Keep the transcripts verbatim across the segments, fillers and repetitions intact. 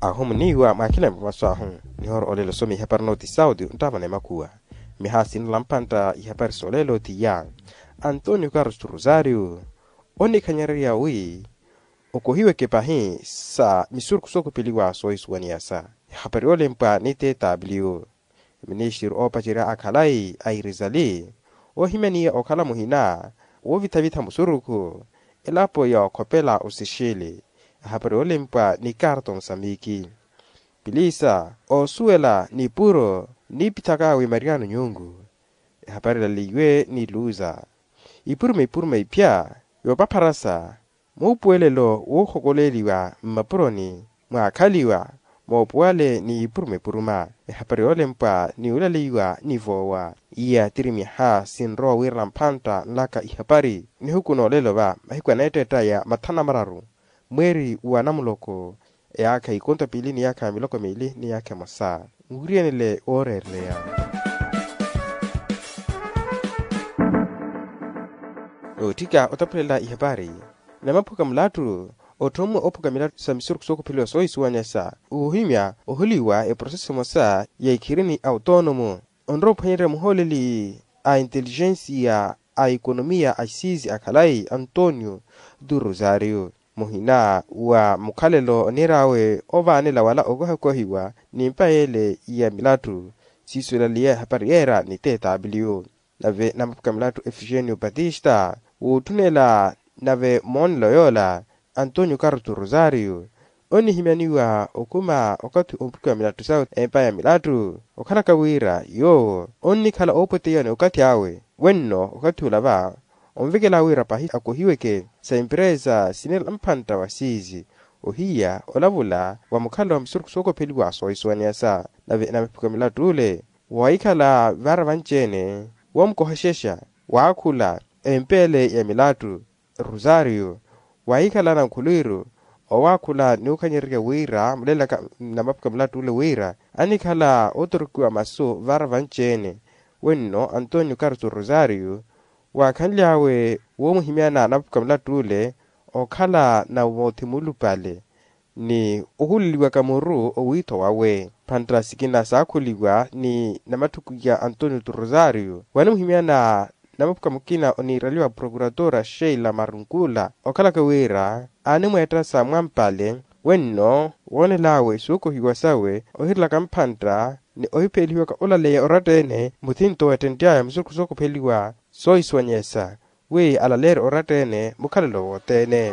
Ahumuniwa mwakhilani mwa masu ahu. Nihoora olelo some ihapari noti sauti nttavana emakhuwa. Miha sinala mpantta ihapari solelo tiya antonio carlos rosario onikhanyererya wi okohiweke pahi sa misurukhu sookhupeliwa soohisuwaniyasa. Ehapari olempwa ni tw ministiri oopacerya akhalayi a irizali ohimyaniya okhala muhina woovitha-vitha musurukhu elapo ya okhopela osixili. Ehapari olempwa ni karto musambiki pilisa osuwela ni puro nipithaka wi mariano nyungu. Ehapari elaleiwe ni luza ipuruma ipuruma ipya yoopapharasa muupuwelelo woohokoleeliwa mmapuroni mwaakhaliwa moopuwale ni ipuruma ipuruma. Ehapari yoolempwa ni olaleiwa ni voowa iya tiri myaha sinrowa wiirana mphantta nlaka ihapari nihuku noolelo va mahiku aneettetta ya mathanu na mararu mweeri wa namuloko eyaakha ikonto piili ni yaakha miloko miili ni yaakha emosa. Nwiriyenele wooreereleya nootthika otaphulela ihapari namaphuka mulattu otthommwe ophuka milattu sa misurukhu sookhupeliwa soohisuwanyasa woohimya ohuliwa eproseso emosa ya ikhirini a otoonomo onrowa ophwanyererya muhooleli a intelijensiya a ekonomiya a isiisi a khalayi antonio du rosario muhina wa mukhalelo oniir'awe ovaanela wala okohakohiwa ni mpa yeele ya milattu. Siiso elaliya ehapari yeera ni tw nave namaphuka milattu efigênio batista wootthunela nave moonelo yoola antonio carto rosario onihimyaniwa okhuma okathi omphukiwa milattu sawe empa ya milattu okhalaka wira yoowo onnikhala oopweteiwa ni okathi awe wenno okathi ola va onvekela wira pahi akohiweke sa emperesa sinela mpantta wa siizi ohiya olavula wa mukhalelo wa misurukhu sookopheliwa soohisuwaniyasa. Nave namaphuka milattu ole waahikhala vaara vanci-ene woomukohexexa waakhula empeele ya milattu rosario waahikhala nankhulwiru owaakhula ni okhanyererya wira mulelaka namaphuka milattu ole wira anikhala ootorokiwa masu vaara vanci-ene wenno antonio carto rosario waakhanly'awe woomuhimyana namaphuka milattu ole okhala na moothi muulupale ni ohuleliwaka muru owiitho wawe. Mphantta sikina saakhuliwa ni namatthuku ya antonio tu rosario wanimuhimyana namaphuka mukina oniiraliwa prokuratora sheila marunkula okhalaka wira aanimweetta sa mwampale wenno woonel'awe sookohiwa sawe ohirelaka mphantta ni ohipheelihiwaka olaleya oratta-ene muthinto weettentt'aya musurukhu sookopheliwa soohisuwanyesa wi alaleerye oratta-ene mukhalelo wothene.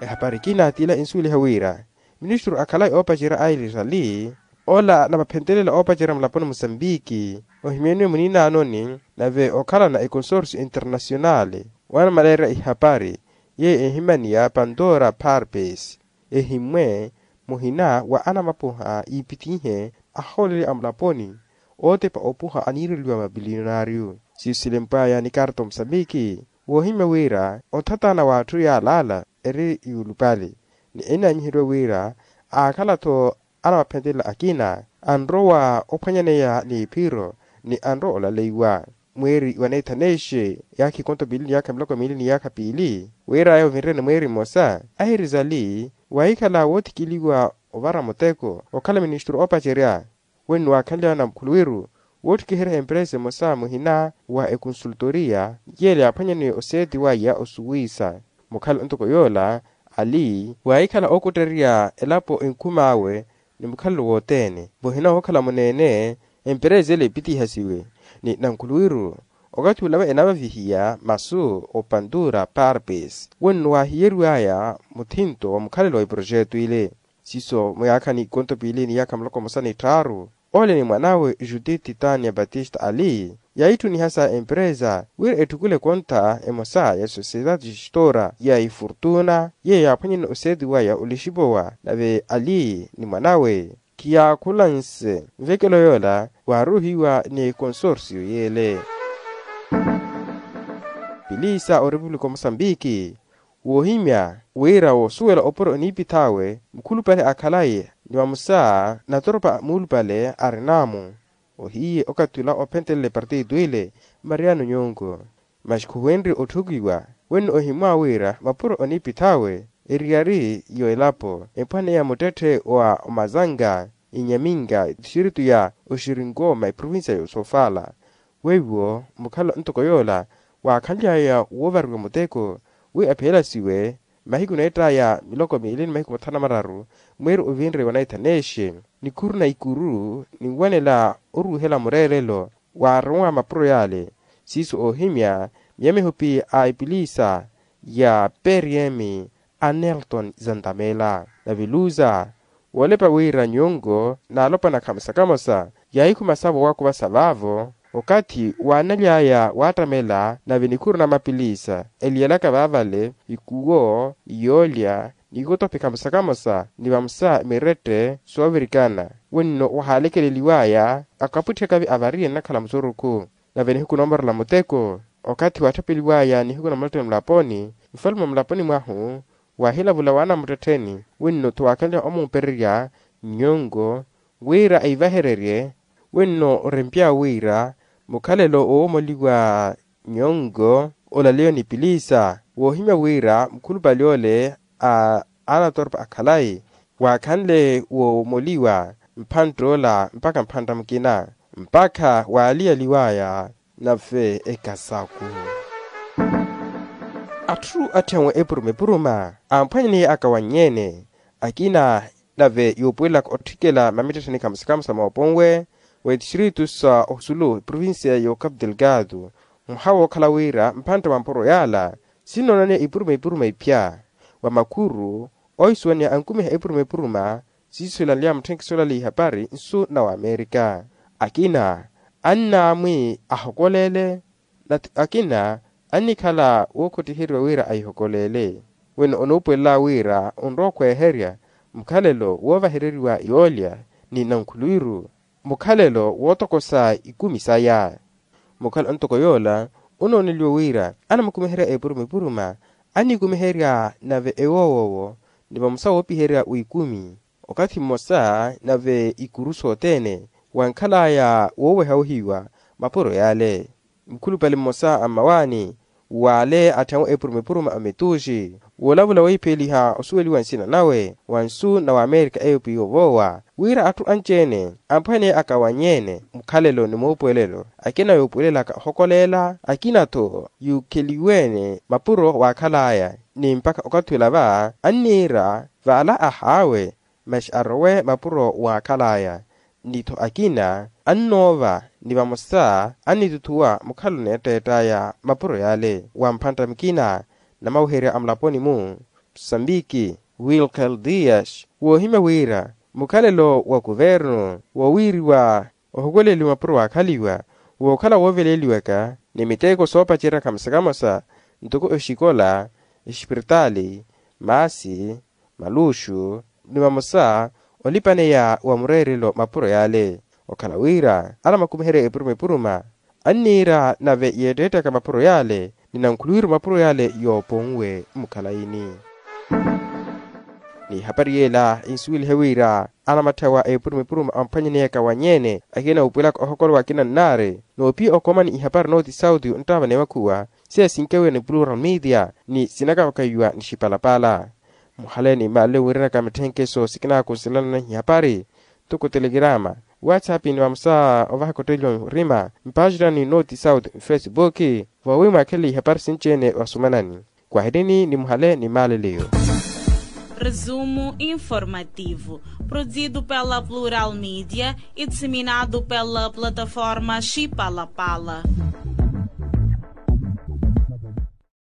Ehapari ekina t'ila ensuweliha wira ministru akhalayi oopacerya a irisali ola anamaphentelela oopacerya mulaponi musambiki ohimyaniwe muniinaanoni nave okhalana ekonsorsio internasionali wanamaleerya ihapari yeeyo ehimaniya pantora parpes ehimmwe muhina wa anamapuha iipitihe ahooleli a mulaponi ootepa opuha aniireliwa mabiliyonario siiso silempwaya ni karto musambiki woohimya wira onthatana w'atthu yaalaala eri yuulupale ni ennaanyiheriwa wira aakhala-tho anamaphentelela akina anrowa ophwanyaneya n'iphiro ni anrowa olaleiwa mweeri wa neithanexe yaakha ikonto piili ni yaakha miloko miili ni yaakha piili wira aya ovinrene mweeri mmosa ahirizali waahikhala woothikiliwa ovara muteko okhala ministru oopacerya wenno waakhanly'awe na mukhuluwiru woottikiherya emperesa emosa muhina wa ekonsultoriya yeela yaaphwanyaniwe oseeti waya osuwisa mukhala ntoko yoola ali waahikhala ookuttererya elapo enkhum'awe ni mukhalelo wothene muhina wookhala muneene emperesa ele epitihasiwe ni nankhuluwiru okathi olava enavavihiya masu opantura parpes wenno waahiyeriw'aya muthinto wa mukhalelo wa iprojeto ile siiso muyaakhani ikonto piili ni yaakha muloko mmosa ni tthaaru ole ni mwan'awe judith titania batista ali yaahitthuniha sa emperesa wira etthukule konta emosa ya sociedade gestora ya ifortuna yeeyo yaaphwanyene oseeti waya olixipowa nave ali ni mwan'awe khiyaakhula nse nvekelo yoola waaruuhiwa ni ekonsorsio yeele pilisa orepupulika omosambiki woohimya wira woosuwela opuro oniipith'awe mukhulupale akhalayi ni vamosa natoropa muulupale arin'amu ohiye okathi ola ophentelela epartito ile mariano nyongo masi khuwenrye otthukiwa wenno ohimmwa wira mapuro oniipith'awe eriyari y'elapo empwaniya muttetthe wa omazanga, inyaminga etixiritu ya oxirinkooma eprovincia y'osofala. Weiwo mukhala ntoko yoola waakhanly'aya woovariwa muteko wi aphelasiwe mahiku neett'aya miloko miili ni mahiku mathanu na mararu mwiiri ovinre wa naithaneexe nikhuru na ikuru ninwanela oruuhela mureerelo waarowa mapuro yaale. Siiso oohimya miyamihupi a epilisa ya prm a nelton zantamela nave luza woolepa wira nyongo n'alopwana khamosa khamosa yaahikhuma savo waakuvasa vaavo okathi waanaly'aya waattamela nave nikhuru na mapilisa eliyelaka vaavale ikuwo iyoolya ni kutopi khamosa khamosa ni vamosa mirette soovirikana wenno wahaalekeleliw'aya akapwitthekavi avariye nnakhala musurukhu. Nave nihiku noomorela muteko okathi waattapeliw'aya nihiku na mulotoni mulaponi nfalume wa mulaponi mwahu waahilavula waana muttettheni wenno tho waakhanle omuupererya nyongo wira aivahererye wenno orempya wira mukhalelo woomoliwa nyongo olaleyo ni pilisa woohimya wira mukhulupale ole a anatorpa akhalayi waakhanle woomoliwa mphantta ola mpakha mphantta mukina mpakha waaliyaliwaya nave ekasaku. Atthu atthenwe epuruma epuruma amphwanyaniye akawannyene akina nave yuupuwelelaka otthikela mamittettheni khamusa khamusa mooponwe w'etixiritu sa osulu provincia y'ocapu delgado mwaha wookhala wira mphantte wa mpuro yaala sinnoonaniya ipuruma ipuruma iphya wa makhuru oohisuwaniha ankumiha epuruma epuruma siiso silanly'aya mutthenkiso olaleya ihapari nsu na wamerika. Akina annaamwi ahokoleele nati akina annikhala wookhottiheriwa wira ahihokoleele wino onuupuwelela wira onrowa okhweeherya mukhalelo woovahereriwa yoolya ni nankhuluwiru mukhalelo wootokosa ikumi saya. Mukhala ntoko yoola onooneliwa wira anamukumiherya epuruma epuruma annikumiherya nave ewoowowo ni vamosa woopiherya w'ikumi okathi mmosa nave ikuru sothene wankhal'aya wooweha ohiwa mapuro yaale. Mukhulupale mmosa a mmawaani w'ale atthenwe epuruma epuruma a mituuxi woolavula wohipheliha osuweliwa nsina nawe wa nsu na wamerika eyo pwiya ovoowa wira atthu anci-ene amphwene akawanyi-ene mukhalelo ni muupuwelelo akina yuupuwelelaka ohokoleela akina-tho yuukheliwe-ene mapuro waakhal'aya ni mpakha okathi ola va anniira v'ala ahaawe masi arowe mapuro waakhal'aya ni-tho akina annoova ni vamosa annituthuwa mukhalo neetteett'aya mapuro yaale wa mphantta mukina na maweherya a mulaponi-mu musambiki wilkel dias woohimya wira mukhalelo wa kuvernu wowiiriwa ohukuleliwa mapuro waakhaliwa wookhala wooveleeliwaka ni miteeko soopacerya khamosa khamosa ntoko exikola exipiritaali maasi maluxu ni vamosa olipaneya wa mureerelo mapuro yaale okhala wira anamakumiherya epuruma epuruma anniira nave yeetteettaka mapuro yaale ni nankhuluwiru mapuro yaale yooponwe mukhalayini. Ni ihapari yeela insuwelihe wira anamatthawa epuruma epuruma amphwanyaneyaka wa nyeene akina wuupuwelaka ohokolowa akina nnaari noopiya okoomani ihapari nooti sauti onttaava neemakhuwa siya sinkewiwa ni plural media ni sinakavakayiwa ni xipalapala. Muhale ni mmaale wiiranaka mitthenkeso sikinaakusilanana ihapari ntoko telegirama whatsapp ni vamosa ovaha kottelliwa murima mpaaxinani nooti sauti mfesibuki voowi mwaakhele ihapari sinci-ene vasumanani. Kwahirini ni muhale ni mmaale leyo. Resumo informativo produzido pela plural media e disseminado pela plataforma xipalapala.